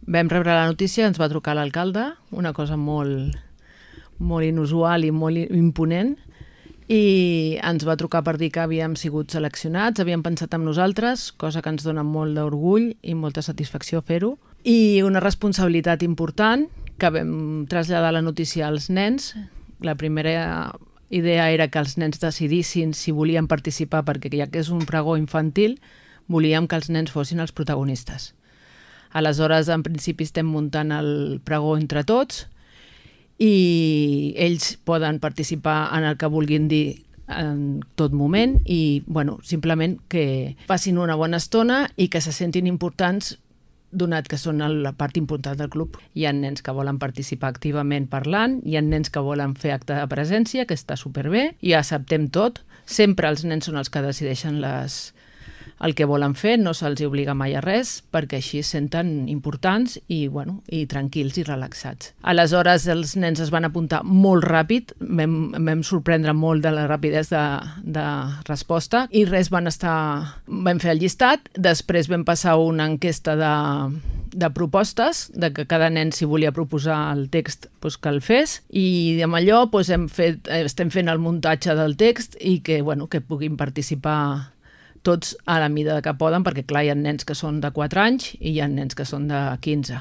Vam rebre la notícia, ens va trucar l'alcalde, una cosa molt, molt inusual i molt imponent, i ens va trucar per dir que havíem sigut seleccionats, havien pensat en nosaltres, cosa que ens dona molt d'orgull i molta satisfacció fer-ho, i una responsabilitat important, que vam traslladar la notícia als nens. La primera idea era que els nens decidissin si volien participar, perquè ja que és un pregó infantil, volíem que els nens fossin els protagonistes. Aleshores, en principi, estem muntant el pregó entre tots i ells poden participar en el que vulguin dir en tot moment i simplement que passin una bona estona i que se sentin importants, donat que són la part important del club. Hi ha nens que volen participar activament parlant, hi ha nens que volen fer acte de presència, que està superbé, i acceptem tot. Sempre els nens són els que decideixen el que volen fer, no se'ls obliga mai a res, perquè així es senten importants i tranquils i relaxats. Aleshores els nens es van apuntar molt ràpid, vam sorprendre molt de la rapidesa de resposta i vam fer el llistat, després vam passar una enquesta de propostes, de que cada nen si volia proposar el text que el fes, i amb allò estem fent el muntatge del text i que puguin participar tots a la mida que poden, perquè clar, hi ha nens que són de 4 anys i hi ha nens que són de 15.